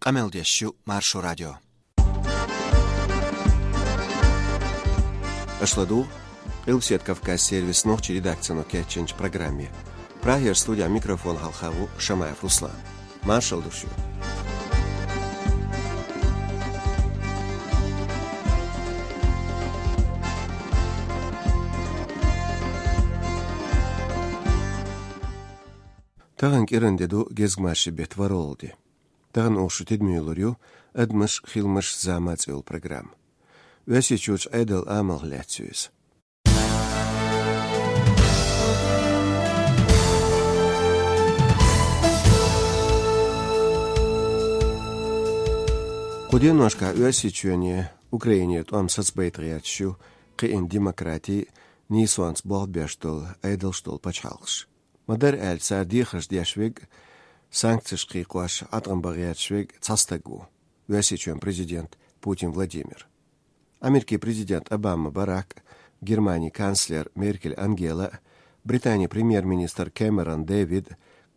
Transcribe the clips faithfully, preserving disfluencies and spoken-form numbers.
Къамел деш ю Маршо радио. Аша ладугӀу Къилбседа Кавказ сервисан нохчийн редакцино кечйинчу программе. Прагера студехь микрофон хьалха ву Шамаев Руслан. Маршалла ду шуьга. Тахана кӀиранде ду гезгмашин беттан ворхӀалгӀа де. Тахана оха шун тидаме лур ю «Адамаш, хиламаш, зама» цӀе йолу программа. Оьрсийчуьрчу Ӏедалан амалх лаьцна ю иза. Кху деношкахь Оьрсийчоьне Украинера тӀом сацабайта гӀерташ ю кхиъна демократин, нийсонца болх беш долу, Ӏедалш долу пачхьалкхаш. Ма-дарра аьлча, цара дехарш деш верг, санкцеш кхайкхош, Ӏаткъам бан гӀерташ верг цхьа стаг ву, Оьрсийчоьнан президент Путин Владимир. Америкин президент Обама Барак, Германин канцлер Меркель Ангела, Британин премьер-министр Кэмерон Дэвид,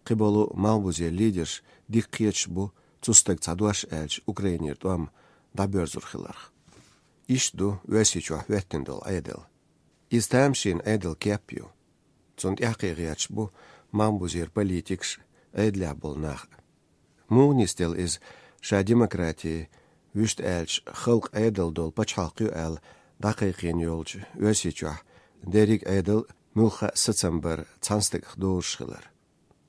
кхиболу малхбузера лидерш дика кхеташ бу цу стага цхьа дош аьлча Украинера тӀом дӀабоьрзур хиларх. Иштта ду Оьрсийчохь хӀоьттина долу Ӏедал. Иза тамашийна Ӏедалан кеп ю. Цунна тӀаьхьакхиа гӀерташ бу малхбузера политикаш, Ӏедалехь болу нах. Муха нисделла иза, ша демократин, вуьшта аьлча, халкъан Ӏедал долу пачхьалкх ю аьлла, дӀакхайкхийна йолчу Оьрсийчохь дерриг а Ӏедал, муьлхха а сацам бар цхьана стагах дозуш хилар.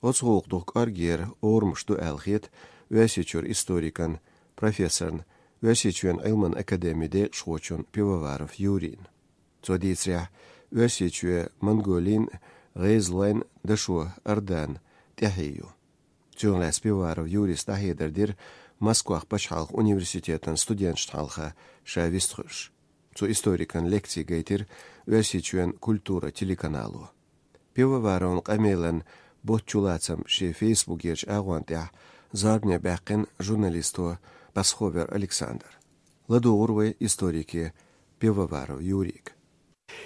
Оцу гӀуллакх дукха кӀоргера орамаш ду аьлла хета Оьрсийчуьра историкан, профессоран, Оьрсийчоьнан Ӏилманан академин декъашхочун Пивоваров Юрийна. Цо дийцарехь, Оьрсийчоь Монголин, ГӀезалойн, Дашо Ордан тӀаьхье ю. Цунах лаьцна Пивоваров Юрийс дӀахьедар дира Москвахь пачхьалкхан университетан студенташна хьалха ша вистхуьлуш. Цу историкан лекци гайтира Оьрсийчоьнан «Культура» телеканало. Пивоваровн къамелан ботт чулацам шен фейсбукерчу агӀонна тӀехь зорбане баьккхина журналисто Пасховер Александра. ЛадугӀур вай историке Пивоваров Юрийга.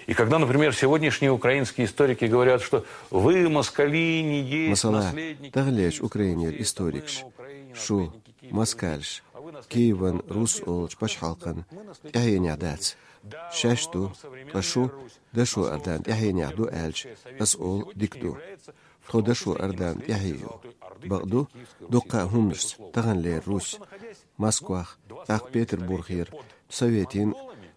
И когда, например, сегодняшние украинские историки говорят, что вы, москали, не есть... Масала, наследники таханлерчу Украинера историкаш: «Шу, москалаш, Киеван рус олучу пачхьалкхан тӀаьхьенехь дац, шаьш ду, ткъа шу Дашо Ордан тӀаьхьенехь ду», аьлча, ас олу: «Дика ду». Тхо Дашо Ордан тӀаьхье ю. Бакъду, дуккха а хӀуманашца таханлера Русь, Москвах, тӀаккха Петербургера, Советийн,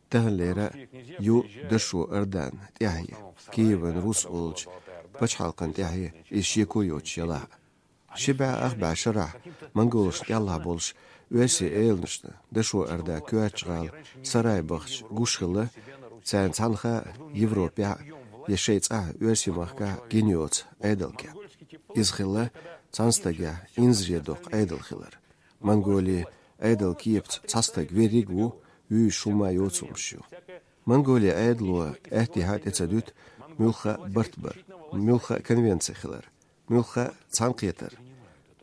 таханлера ю Дашо Ордан тӀаьхье, Киеван рус олучу пачхьалкхан тӀаьхье, иза шеко йоцуш ялахь а. Ши бӀе ах бӀе шарахь монголашна кӀелхьа болуш оьрсийн эланашна Дашо Орда коьртачу гӀала Сарай бахча гуш хилла, царна цхьанхьа Европехь я шайн цӀахь оьрсийн махкахь гина йоцу Ӏедалан кеп. Иза хилла цхьана стагехь инзаре доккху Ӏедал хилар. Монголин Ӏедалан кепаца цхьа стаг верриг а ву, вуьйш хӀумма а йоцурш ю. Монголин Ӏедало аьттехьа тӀе ца дуьту муьлхха а барт бар, муьлхха а конвенци хилар, муьлхха а цхьаьнакхетар,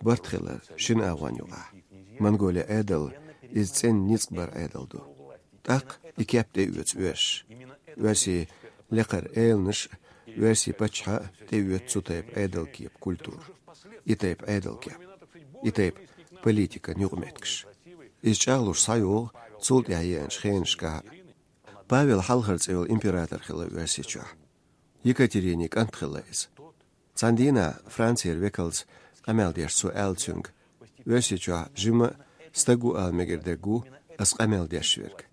барт хилар шина агӀонна юкъахь. Монголин Ӏедал иза цӀена ницкъ бар Ӏедал ду. ТӀаккха и кеп тӀеоьцу оьрсаша. Оьрсийн лекхара эланаш а, оьрсийн паччахьа а тӀеоьцу цу тайпа Ӏедалан кеп, культура. И тайпа Ӏедалан кеп. И тайпа политикан юкъаметтигаш. Иза чӀагӀлуш схьайогӀу цул тӀаьхьа еанчу хенашкахь а. Павел хьалхара цӀе йолу император хилла Оьрсийчохь. Екатеринин кӀант хилла иза. Цхьана дийнахь Францера векалца къамел деш цо аьлла цуьнга: «Оьрсийчохь жимма а стаг ву ала мегар дерг ву ас къамел деш верг.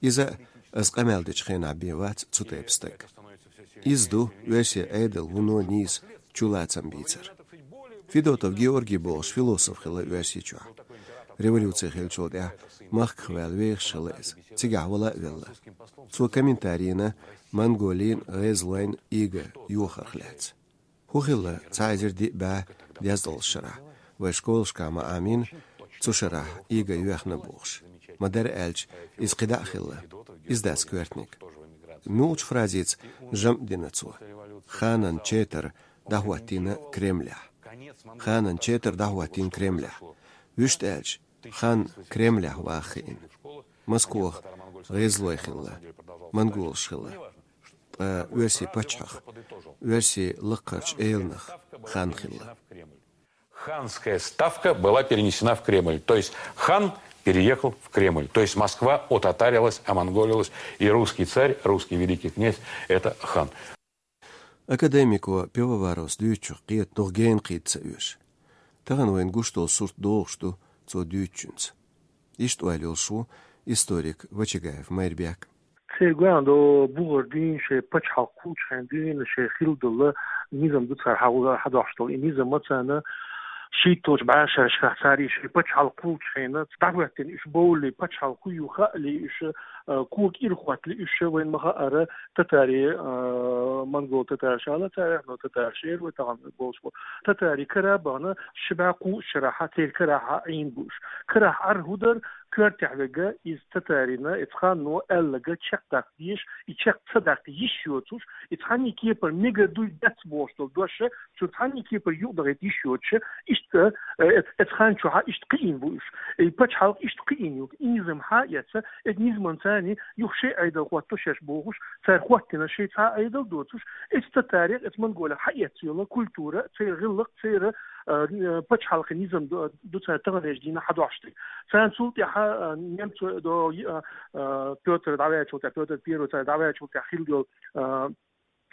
Иза а ас къамел дечу хенахь бен вац цу тайпа стаг». Иза ду оьрсийн Ӏедал вуно нийса чулацам бийцар. Федотов Георгий бохуш философ хилла Оьрсийчохь. Революци хиллачул тӀаьхьа махках ваьлла вехаш хилла иза, цигахь вала а велла. Цо комментарий йина Монголин, ГӀезалойн ига йохарх лаьцна. ХӀун хилла цхьа эзар диъ бӀе дезткъалгӀачу шарахь, вай школашкахь ма Ӏамийна, цу шарахь ига йоьхна бохуш? Ма-дарра аьлча, иза кхидӀа а хилла. Иза дац коьртаниг. Муьлхачу фразица жамӀ дина цо: «Ханан четар дӀахӀоттийна Кремлехь». Ханан четар дӀахӀоттийна Кремлехь. Вуьшта аьлча, хан Кремлехь ваха хиъна. Москох ГӀезалой хилла, монголаш хилла, ткъа оьрсийн паччахьах, оьрсийн лакхарчу эланах хан хилла. Ханская ставка была перенесена в Кремль. То есть хан переехал в Кремль. То есть Москва отатарилась, омонголилась, и русский царь, русский великий князь — это хан. Академико Пивоваровс дуьйцучух кхета дукха гена кхийтта ца оьшу. Тахан вайна гуш долу сурт догӀуш ду цо дуьйцучуьнца. Иштта ойла йолуш ву историк Вачагаев Майрбек. Церан гуьнан до бухара дуьйна шайн пачхьалкх кхуллучу хенахь дуьйна шайн хилла долу низам ду цара хьа-, хьадохьуш долу. И низам ма царна шийтталгӀачу бӀешаршкахь цара и шайн пачхьалкх кхуллучу хенахь дӀахӀоьттина уьш бовлий, пачхьалкх хӀу ю хаалий уьш, а, кога кӀира хӀотталий уьш, вайна ма хаара, татари, а, монгол татарш ала цара, но татарш эр вай тахана болуш бу. Татари кара а бахана, ши бӀе кхоъ шарахь церан карахь Ӏийна бу уьш. Карахь Ӏар хӀу дара, коьртехь верг иза татарина, иза ханно аьлларг чекхдаккха дезаш, и чекх ца даккха йиш йоцуш, и цхьанний кепара мегар дуй дац бохуш долу дош, цу цхьанний кепара юкъадахийта йиш йоцуш, иштта, э, эц-, эц хан чохь иштта кхиийна бу уьш. И пачхьалкх иштта кхиийна ю, и низам хьа а эцна, эд низаман царний юха шайн Ӏедал хӀотто шаьш бохуш, цара хӀоттина шайн цхьа Ӏедал доцуш, эц татарех, эц монголех хьаэцна йолу культура, церан гӀиллакх, церан, э, э, пачхьалкхан низам ду, ду цара таханлерчу дийнахь хьадохьуш дерг. Царна цул тӀаьхьа, э, немцо до, э, э, Пётр дӀаваьллачул тӀаьхьа, Пётр Первый цара дӀаваьллачул тӀаьхьа хилла йолу, э,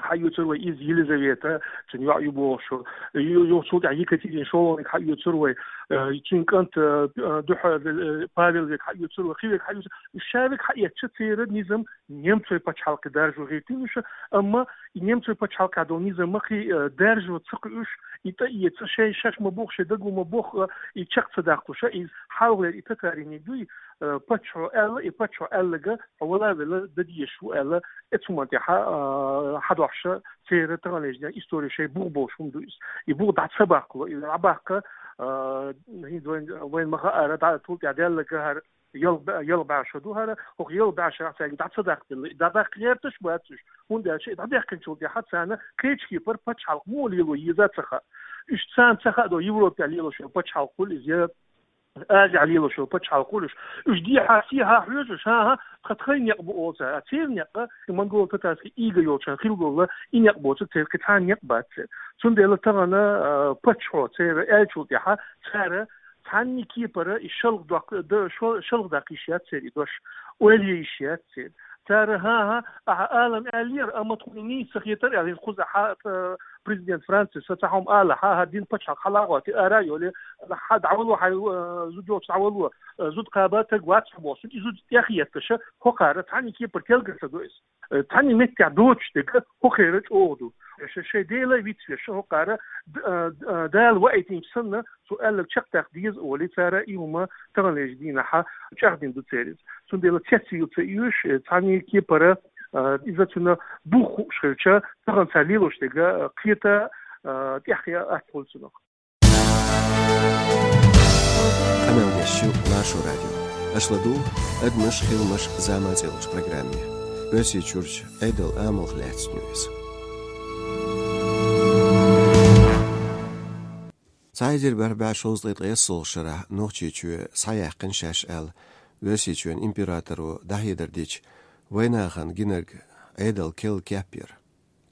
хьаоьцур вай иза Елизавета, цуьнан йоӀ ю бохуш. Ю-, ю-, цул тӀаьхьа Екатерина ШолгӀаниг хьаоьцур вай, э, цуьнан кӀант, э, дуьхьа, э, Павел верг хьаоьцур вай, кхин верг хьаоьцур. Уьш ша верг хьаэцча, церан низам немцойн пачхьалкхе даржо хӀиттийна уьш, амма и немцойн пачхьалкхехь долу низам ма кхин, э, даржо ца кхуьуш, и тӀаэца шайн шаьш ма боху, шайн даго ма боху, э, и чекх ца даккхуш, иза хьалхалера и татариниг дуй, э, паччахьо аьлла, и паччахьо аьлларг хьо вала а велла дан дезаш ву аьлла, эцу хӀуманна тӀехь, а, хьадохьуш церан таханлерчу дийнахь истори шайн бух болуш хӀума ду иза. И бух дӀа ца баккхало, и дӀабаккха, а, хӀинца вайн, вайн ма хаара, дӀа цул тӀаьхьа даьлларг хӀара ялх бӀе-, ялх бӀе шо ду хӀара, хӀокху ялх бӀе шарахь цаьрга дӀа ца даккхаделла, и дӀадаккха гӀерташ а бац уьш, хӀунда аьлча и дӀадехкинчул тӀаьхьа царна кхечу кепара пачхьалкх муха лело еза а ца хаьа. Уьш царна ца хаьа до Европехь лелош йолу пачхьалкх хуьлу иза, я Азехь лелош йолу пачхьалкх хуьлуш, уьш дехьа-сехьа хьоьжуш, хӀан-хӀа, тхан тхайн некъ бу олу цара, а церан некъ, и монголо-татарский ига йолчарна хилла долу и некъ боцург церан кхин цхьа а некъ бац церан. Цундела тахана, а, паччахьо церан аьллачул тӀаьхьа цара цхьанний кепара и шалха доккху-, д-, шо-, шалха даккха йиш яц церан и дош, ойла е йиш яц церан. Цара, хӀан-хӀа, ахьа алам аьллера, амма тхуна нийса ца хетара аьлла, хӀинца кхузахь, а, президент Францис цхьа хьума ала, хьан-хӀа, дин пачхьалкх хьалагӀоттий, ара а йолий, хьан дӀавало, хьан, а, зуда йолчу дӀавало, а, зуда кхаба, таг вац хьо боху, цуьнан и зуда тӀехъетташ, хӀокхара цхьанний кепара келгар ца до иза. Э, цхьанний меттехь доцуш дерг хӀокхера чӀогӀа ду. Ш-, шайн Дела вицвеш, хӀокхара д-, а, д-, а, Дала ваийтинчу санна, цо аьлларг чекхдаккха деза олий, цара и хӀума таханлерчу дийнахь чӀагӀдина ду церан иза. Цундела цецвийла ца оьшу, э, цхьанний кепара, а, иза цуьнан бух хууш хилча, тахана цара лелош дерг, а, кхета, а, тӀаьхье атта хуьлу цунах. Къамел деш ю Маршо радио. Аша ладугӀу «Адамаш, хиламаш, зама» цӀе йолчу программе. Оьрсийчуьрчу Ӏедалан амалх лаьцна ю иза. Цхьа эзар бархӀ бӀе шовзткъе ткъайоьсналгӀачу шарахь Нохчийчоь схьаяьккхина шаьш аьлла, Оьрсийчоьнан императоро дӀахьедар дича, вайнахана гинарг Ӏедалан керла кеп яра.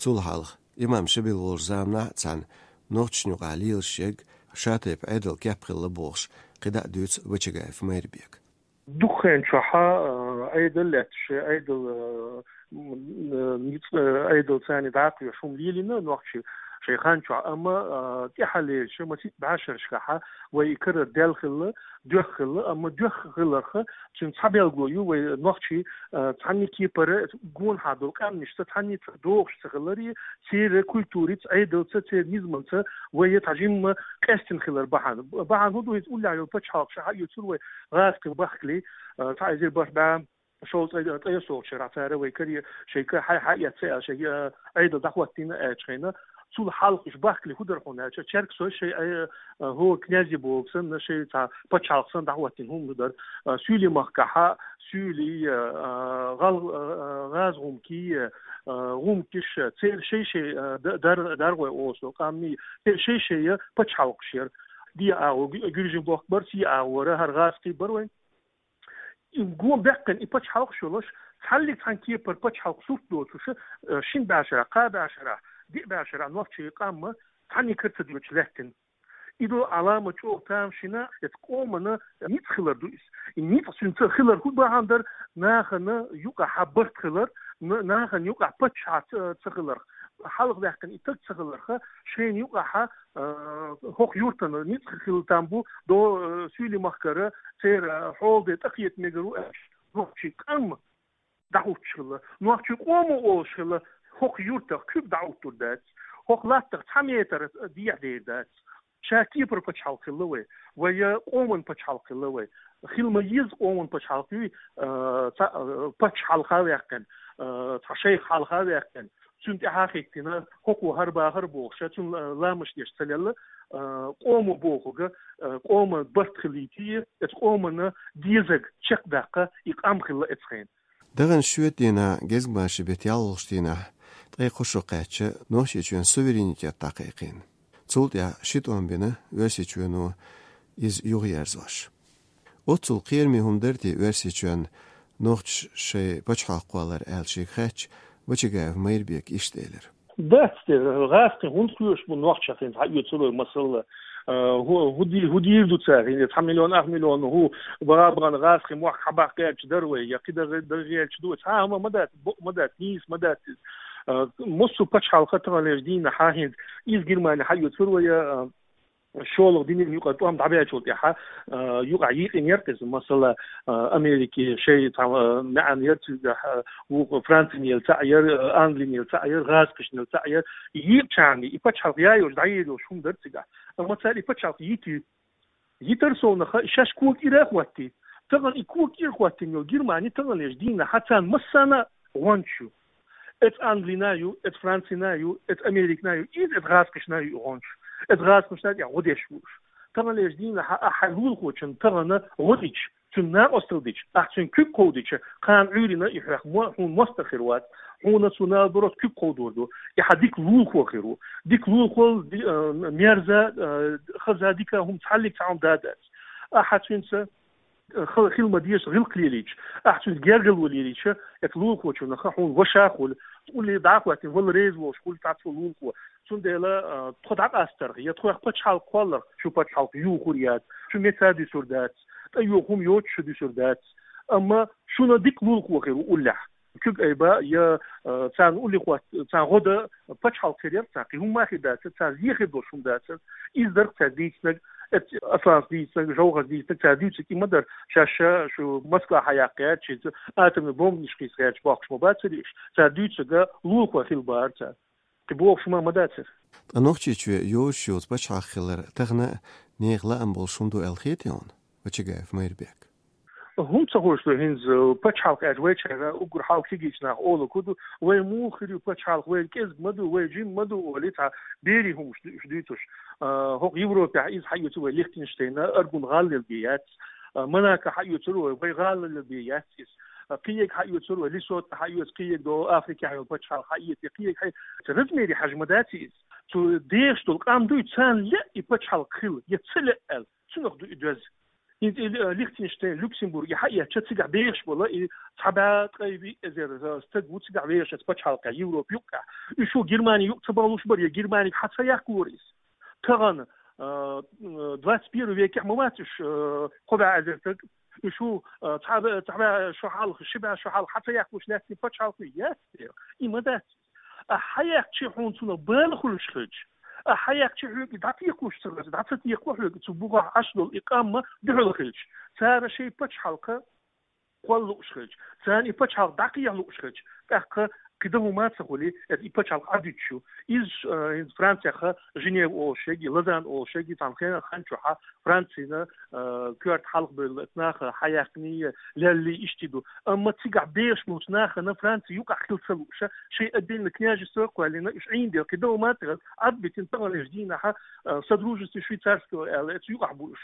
Цул хьалха, имам Шабил волчу заманахь а цхьаьна нохчашна юкъахь лелаш ерг ша-тайпа Ӏедалан кеп хилла бохуш, кхидӀа а дуьйцу Вачагаев Майрбека. Дукха хенан чохь, а, Ӏедал лаьтташ, Ӏедал, а, м, а, ницкъ, а, Ӏедал царна дӀакхоьхьуш хӀума лелийна нохчий шайн хан чохь, амма, а, тӀаьхьалерчу масийтта бӀешерашкахь вай и карара даьлла хилла, доьхна хилла, амма доьхна хиларх цуьнан цхьа белгало ю вай нохчий, а, цхьанний кепара гонахьа долу къаьмнашца цхьанний ца догӀуш ца хиларе, церан культурица, Ӏедалца, церан низамца вай цхьа жимма къестина хилар бахьана. Бахьана хӀун ду, хӀинца уллехь йолу пачхьалкх ша хьаоьцура вай гӀазкхи бахкале, а, цхьа эзар бархӀ бӀе шовзткъе ткъайоьсналгӀачу шарахь цара вай каре шайн ка хьай хьаэцна аьлла, шайн, а, Ӏедал дӀахӀоттийна аьллачу хенахь, цул хьалха уьш бахкале хӀун дара хьуна аьлча, Черкесой шайн, а, а, хӀо князьи бохург санна, шайн цхьа пачхьалкх санна дӀахӀоттийна хӀума дара. А, Суьйлийн махкахь, Суьйли, а, гӀал-, а, гӀаза гӀумкий, а, гӀумкиш, церан шай-шай, а, д-, дар-, даргӀой олуш долу къаьмнийн, церан шай-шай пачхьалкхаш яра. Де агӀо гу-, гуьржийн бохк бара, се агӀо вара, хӀара гӀазкхий бара вайн. И гон баьккхина и пачхьалкхаш йолуш, цхьаллиг цхьана кепара пачхьалкх сурт доцуш, а, шина бӀешарахь, кхаа бӀешарахь, диъ бӀешарахь нохчийн къам цхьанний кара ца доьдуш лаьттина. И ду Ӏаламат чӀоагӀа тамашийна, эцу къомана ницкъ хилар ду иза. И ницкъ цуьнца хилар хӀун бахьана дара? Нахана юкъахь барт хилар, н-, нахана юкъахь паччахь ца, ца хиларх, хьалха ваьккхина и стаг ца хиларх, шайна юкъахь, а, хӀокху юьртана ницкъ хила там бу, до, а, суьйли махкара, церан хьолде тӀакхета мегар ву аьлла, нохчийн къам дӀахӀуттуш хилла. Нохчийн къомо олуш хилла, хӀокху юьртах куьг дӀахӀуттур дац, хӀокху латтах цхьа метр дехьа дер дац. Ша кепара пачхьалкх хилла вай, вай я къоман пачхьалкх хилла вай. Хила ма еза къоман пачхьалкх юй, а, цхьа, а, паччахь хьалха а ваьккхина, а, цхьа шайх хьалха а ваьккхина, цуьнан тӀаьхьа а хӀиттина, хӀокхо хӀара бахара бохуш, цуьнан ла-, ламаш деш ца лелла, а, къомо бохург, а, къоман барт хилийта, эцу къомана дезарг чекхдаккха и къам хилла эцу хенахь. Даханчу шоьтан дийнахь, гезгмашин беттан ялхалгӀачу дийнахь, ткъе кхо шо кхаьчча, Нохчийчоьнан суверенитет дӀакхайкхийна. Цул тӀаьхьа ши тӀом бина Оьрсийчоьно иза юхаерзош. Оццул кхераме хӀума дара те Оьрсийчоьнна нохчаша шайн пачхьалкх кхоллар аьлла шега хаьттича, Вачагаев Майрбека иштта элира. Дац те, гӀазкхийн хӀунда кхоьруш бу нохчех, хӀинца хьаоьцур вай масала, а, хӀу-, хӀу ди-, хӀу дийр ду цара, хӀинца цхьа миллион, ах миллион хӀу баха-бахана гӀазкхийн мохк хьабаккха гӀерташ дара вай, я кхидӀа гӀе-, дӀа гӀерташ ду вай, цхьа а хӀума ма дац, бакъ ма дац, нийса ма дац иза. А, массо а пачхьалкх таханлерчу дийнахь хӀинца иза Германи хьаоьцур вай, а, шолгӀа динан юкъа тӀом дӀабаьчул тӀаьхьа, а, юкъахь йийкъина яра иза, масала, а, Америки шайн цхьа, а, маьӀна яра цигахь, а, вукху Францин яла цхьаъ яра, а, Англин яла цхьаъ яра, гӀазкхашна яла цхьаъ яра. Йийкъачарна и пачхьалкх яйош, дӀаерзош хӀума дара цигахь. Амма цара и пачхьалкх йитира. Йитар совнаха, и шаьш кога кӀира а хӀоттий. Тахана и кога кӀира хӀоттийна йолу Германи таханлерчу дийнахь царна массарна а гӀончаш ю. Эцу Англина ю, эцу Францина ю, эцу Америкина ю, иза эцу гӀазкхашна ю и гӀончаш. Эцу гӀазкхашна тӀехь гӀо деш ву уьш. Таханлерчу дийнахь ахь хьайн лулахочунна тахана гӀо дича, цуьнан накъосталла дича, ахь цуьнан куьг кховдича, кхана Ӏуьйранна и хьох мо-, хьуна мостагӀа хир вац, хьуна цо наоборот куьг кховдор ду, и хьан дика лулахо хир ву. Дика лулахо, ди-, а, мерза, а, хаза дика хӀума цхьаллиг цхьа хӀума да дац. Ахьа цуьнца хила ма дезаш гӀиллакх лелийча, ахь цуьнца гергарло лелийча, эцу лулахочунах хьуна ваша а хуьлу, улле дӀа а хӀоьттина, вала реза волуш хуьлу цхьа цо лулахо. Цундела, а, тхо дӀакъастарх, я тхох пачхьалкх кхолларх, шу пачхьалкх юхур яц, шу меца дуьсур дац, тӀе юха хӀума йоцуш шу дуьсур дац. Амма шуна дика лулахо хир ву уллехь. Куьг айба, я, а, царна улле хӀотта, царна гӀо дан пачхьалкх хир яра царна, кхин хӀумма а хир дацара, царна зен хир долуш хӀума дацара. Иза дара цара дийцинарг, эт-, Асланас дийцинарг, ЖовхӀарс дийцинарг, цара дуьйцург и ма дара, шаьш шу Москва хьаяккха гӀерташ, иза атомный бомбанаш кхийса гӀерташ бохкуш ма бацара уьш. Цара дуьйцург лулахой хила бара цара. Кхин бохуш хӀума ма дацара. Ткъа Нохчийчоь йозуш йоцу пачхьалкх хилар тахана а нехан лаам болуш хӀума ду аьлла хетий хьуна, Вачагаев Майрбек? ХӀунда ца хуьлуш ду хӀинца пачхьалкх аьлча, вайчара уггар хьалха кегийчу наха олург хӀун ду: вай муха хир ю пачхьалкх, вай кӀезиг ма ду, вай жима ма ду, олий цхьа берийн хӀуманаш ду уьш дуьйцуш. А, хӀокху Европехь иза хьаоьцур вай Лихтенштейна, Аргун гӀала лелабе яц. А, Монако хьаоьцур вай, вай гӀала лелабе яц иза. А, кхиерг хьаоьцур вай, Лесото хьаоьцу, кхиерг до Африкехь йолу пачхьалкх хьаэций, кхиерг хьаэций. Размере хьажа ма дац иза. Цу дехаш долу къам дуй, царна лаьа и пачхьалкх хила, я ца лаьа аьлла, цунах ду и доьзна. ХӀинца и, э, Лихтенштейн, Люксембург, и хьаэцча, цигахь бехаш болу, и цхьа бӀе ткъе виъ эзар, э, стаг ву цигахь вехаш эцу пачхьалкхехь, Европа юккъехь. Уьш ву Германи юкъа ца бахлуш бара, я Германига хьа ца яккхалора иза. Тахана, э, э, двадцать первый векехь ма вац уьш, э, кхо бӀе эзар стаг. Уьш ву, э, цхьа бӀе, цхьа бӀе шо хьалха, ши бӀе шо хьалха хьа ца яккхалуш лаьцна пачхьалкх ю, яц? И ма дац. Ахьа хьаяккхича хьуна цунах бала хуьлуш хилча, ахьа хьаяккхича хьоьга дӀатекхалуш ца хилча, дӀа ца текхо хьоьга, цу бухахь Ӏаш долу и къам ма дуьхьал хилча, цара шайн пачхьалкх кхолла лууш хилча, царна и пачхьалкх дӀакхехьа лууш хилча, тӀаккха кхин дан хӀума ца хуьлий, эцу и пачхьалкх Ӏадуьтуш ю. Иза, э, хӀинца Францехь Женева олуш ерг, Лозанна олуш ерг, цхьана хен-, хан чохь Францина, э, коьрта хьалха бевлла наха хьаяьккхиний, леллий иштта ду. Амма цигахь бехаш болчу нахана Франци юкъахь хила ца лууш, шайн отдельно княжество а кхоьллина, уьш Ӏийна дела, кхин дан хӀума ца хилла, Ӏадбитина таханлерчу дийнахь, э, Содружество швейцарского аьлла, эцу юкъахь бу уьш.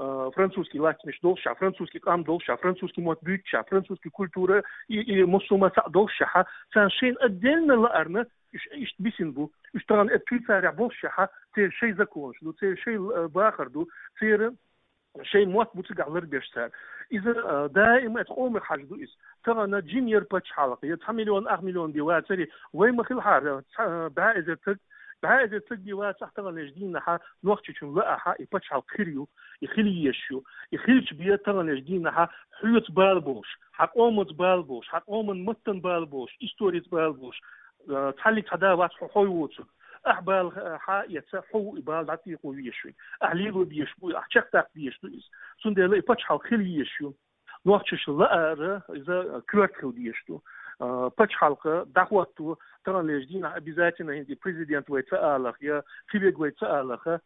Э, французский латтанаш доллушехь, французский къам доллушехь, французский мотт буьйцушехь, французский культура и, и массо а ма цхьаъ доллушехь, царна шайна отдельно лаарна, уьш иштта бисина бу. Уьш тахана эцу Швейцарехь боллушехь, церан шайн законаш ду, церан шайн, э, бахар ду, церан шайн мотт бу цигахь ларбеш цара. Иза, э, даима эцу къомах хьажа ду иза. Тахана жима яра пачхьалкх, я цхьа миллион, ах миллион бен вацара, вай ма хилахьара, цхьа, э, бӀе эзар стаг, БӀаь эзар саг бе вацахь таханлерча дийнахьа Нохчийчун лаахьа, и пачхьалкх хир ю, и хила езаш ю, и хилча бе таханлерча дийнахьа хьоца бала болаш, хьа къомаца бала болаш, хьа къоман маттан бала болаш, историца бала болаш, э, цхьаллиг цхьа да вац хьо хьой воцург. Ахь бала, э, хьа эца, хьо ву и бала дӀатӀекхо везаш вайна. Ахь лело безаш бу, ахь чекхдаккха дезаш ду иза. Цундела и пачхьалкх хила езаш ю. Нохчаша лаара иза коьрта хила дезаш ду. А, пачхьалкх дӀахӀотто, таханлерча дийнахьа обязательно хӀинца и президент вай ца алахь, е кхиверг вай ца алахь,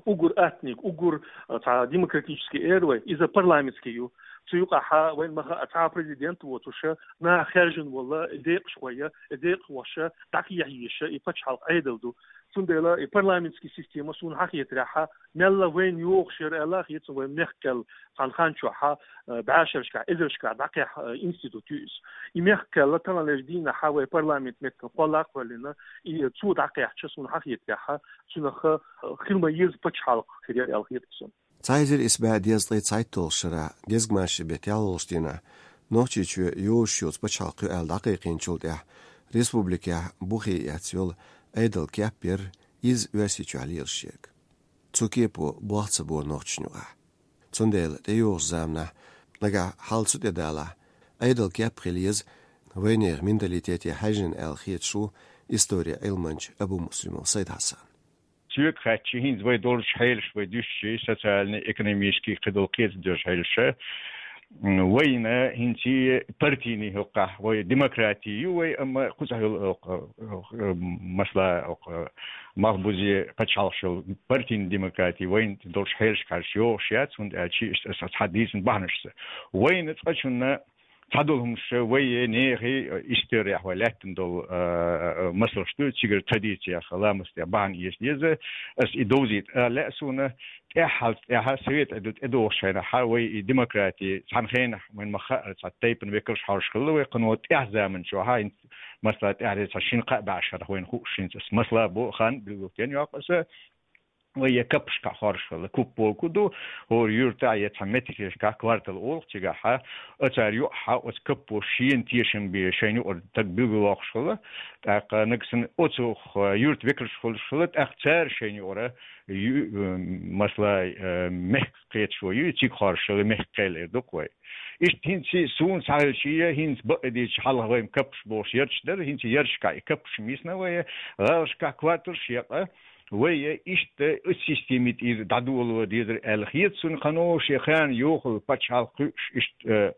уггар аттаниг, уггар, а, цхьа демократически эр вай, иза парламентски ю. Цу юкъахьа вайна ма хаъа цхьа президент воцуш, наха хаьржина вола, декъашхой, декъахоша дӀакхехьа езаш и пачхьалкх Ӏедал ду. Цундела и парламентски система суна хьахетарехьа, мелла вайна йогӀуш яр аьлла, хецна вай мехкал цхьан хан чухьа, э, бӀаьшерашкахь, эзарашкахь дӀакхехьа, э, институт ю иза. И мехкал таханлерча дийнахьа вай парламент меттан кхолла а кхоьллина, и цо дӀакхехьача суна хьахетарехьа, цунах, э, хила ма еза пачхьалкх хир яр аьлла хетар сона. Цхьа эзар исс бӀаь дезткъе цхьайтталгӀача шера дезгмашин бетта ялхолгӀача дийнахьа Нохчийчоь йогӀуш йола пачхьалкх ю аьлла дӀакхайкхийначул тӀехьа республикехь бухе эцна йола Ӏедал кеп яр, иза Оьрсийчохь лелаш ерг. Цу кепо болх ца бора нохчашна юкъахь. Цундела тӀейогӀучу заманахь, нагахь хьал цу тӀе далахь, Ӏедал кеп хила еза вайнехан менталитете хьаьжжина аьлла хеташ ву историн Ӏилманча Абумуслимов Сайд-Хьасан. Соьга хаьттича, хӀинца вай долчу хьелаш, вай дуьстича, социальный, экономический, кхидолу кхеташ долчу хьелаша, м, вайна хӀинца партийный хӀокхахь, вай демократи ю вай, амма кхузахь йолу, э, э, э, масала, э, малхбузе пачхьалкхаш йолу партийный демократи вайна долчу хьелашкахь йогӀуш яц, хӀунда аьлча иштта аса цхьа дийцина бахьанашца. Вайна цкъачунна цхьадолу хӀумнаш вай нехан историяхь вай лаьттина долу, а, а, масалш ду, цигара традициях, ламастех бахьана эца деза, ас и довзийта а лаьа суна, тӀаьххьалц тӀаьхьа совет Ӏедал тӀедогӀуш хенахьа вай и демократи, цхьана хенахь, вайн ма хаъара, цхьа тайпана векалш хьожуш хилла вай, кхано тӀаьхьа заман чохьа, хӀинца, масала, тӀаьхьа цхьа шина-кхаа бӀаьшхарах вайна хууш, хӀинца ас масала бо, хан билгалден йоккху аса, вай я каппашкахь хоржуш хилла, куппо ку ду, хӀора юьртахь я цхьа меттигашкахь квартал олу цигахьа, оцара юкъахьа оцу каппо шена тешам бе шайна юкъара стаг билгалвоккхуш хилла, тӀаккха нагахь санна оцу юьрта векалш хуьлуш хилла, тӀаккха цара шайна юкъара ю-, масала, э, мехкан кхеташо ю, цига хоржуш хилла, мехкан кхел эр ду-кх вай. Иштта хӀинца суна схьахилча, хӀинца бакъдерг хьалха вайн каппаш бохуш ярташ дара, хӀинца ярташкахь и каппаш мисна вай, гӀалашкахь кварталш якъа, вай иштта оцу системе тӀера дӀадоло дезара аьлла хета суна, кхано шен ханна йохалла пачхьалкх кхуьуш, иштта,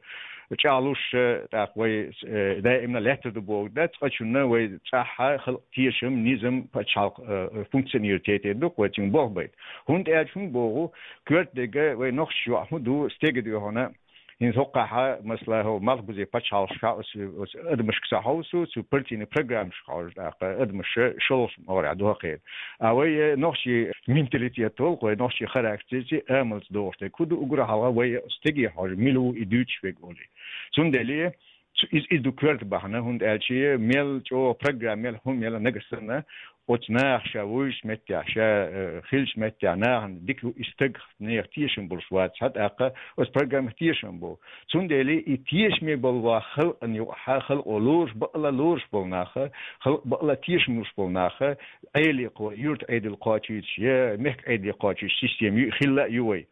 э, чӀагӀлуш, э, тӀаккха вай, э, даимна лаьттар ду бохург дац, цкъачунна вай цӀахьа халкъан тешам, низам, пачхьалкх, э, функционировать ятор ду-кх вай, цуьнга болх байта. ХӀунда аьлча хӀун боху, коьрта дерг вай нохчаш йоӀ хӀун ду, стеган дуьхьал, хӀинца хӀокхахьа, масала, хӀо малхбузе пачхьалкхашкахь оцу, оцу адамашка ца хьовсу, цу партийный программашка хьожу тӀаккха адамаш шолгӀачу могӀарехь ду хӀокхеран. А вай, э, нохчийн менталитет волу-кх, вай нохчийн характерца, амалца догӀуш дерг хӀун ду, уггар хьалха вай стеге хьожу, мила ву и дуьйцуш верг олий. Цундела цу-, иза, иза ду коьрта бахьана, хӀунда аьлча мел чӀогӀа программа, мел хӀума, мел нагахь санна, оцу наха ша вуьйцучу меттехь, ша, э, хиллачу меттехь нахана дика ю и стаг, нехан тешам болуш вац, хьа тӀаккха оцу программах тешам бу. Цундела и тешаме болу ван халкъана юкъахьа, халкъо лоруш, бакъала лоруш болу наха, халкъ бакъала тешам луш болу наха, Ӏеле кхо-, юьрта Ӏедал кхочуьйтуш, я мехкан Ӏедал кхочуьйтуш система ю, хилла а ю вай.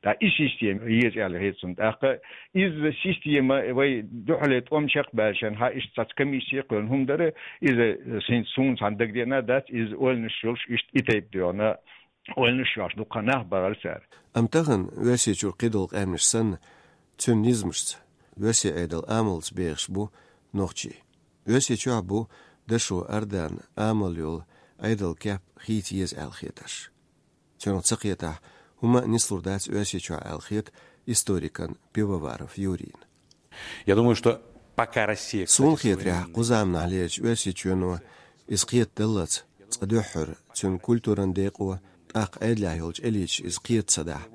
ТӀаккха и система еза аьлла хета суна. ТӀаккха иза система вай дуьхьале тӀом чекхбаьлча, хьан иштта цхьацца комиссия кхоьллина хӀума дара, иза, э, син-, суна цхьана дагадеана дац, иза ойланаш йолуш иштта и тайпа доьгӀна, ойланаш йолуш дуккха нах бахара цара. Амма тахана Оьрсийчуьра кхидолу къаьмнаш санна, цуьнан низамашца, оьрсийн Ӏедалан амалца бехаш бу нохчий. Оьрсийчохь бу дашо ардан амал йолу Ӏедалан кеп хийца еза аьлла хетарш. Цуьнах ца кхетахь, хӀума а нислур дац Оьрсийчохь аьлла хета историкана Пивоваров Юрийна. Я думаю, что пока Россия, кстати, суна хетарехь, кху заманахьлерчу Оьрсийчоьно иза кхетадаллалц, цкъа дуьххьара цуьнан культуран декъо, тӀаккха Ӏедалехь йолчу элиташа иза кхета ца дахь,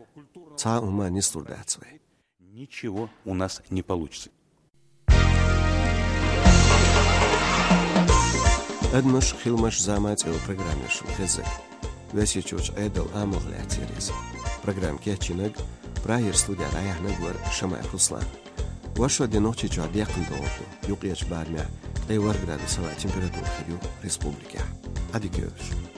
цхьа а хӀума нислур дац вай. Ничего у нас не получится. «Адамаш, хиламаш, зама» цӀе йолу программа шуна хезнарг. Оьрсийчуьрчу Ӏедалан амалх лаьцна яра иза. Программа кечйинарг Прагера студехь дӀаяьхьнарг вара Шамаев Руслан. Вайшинна де Нохчийчохь декхна догӀур ду, юккъерчу барамехь ткъе ворхӀ градус хӀаваан температура хир ю республикехь. Ӏадика йойла шун.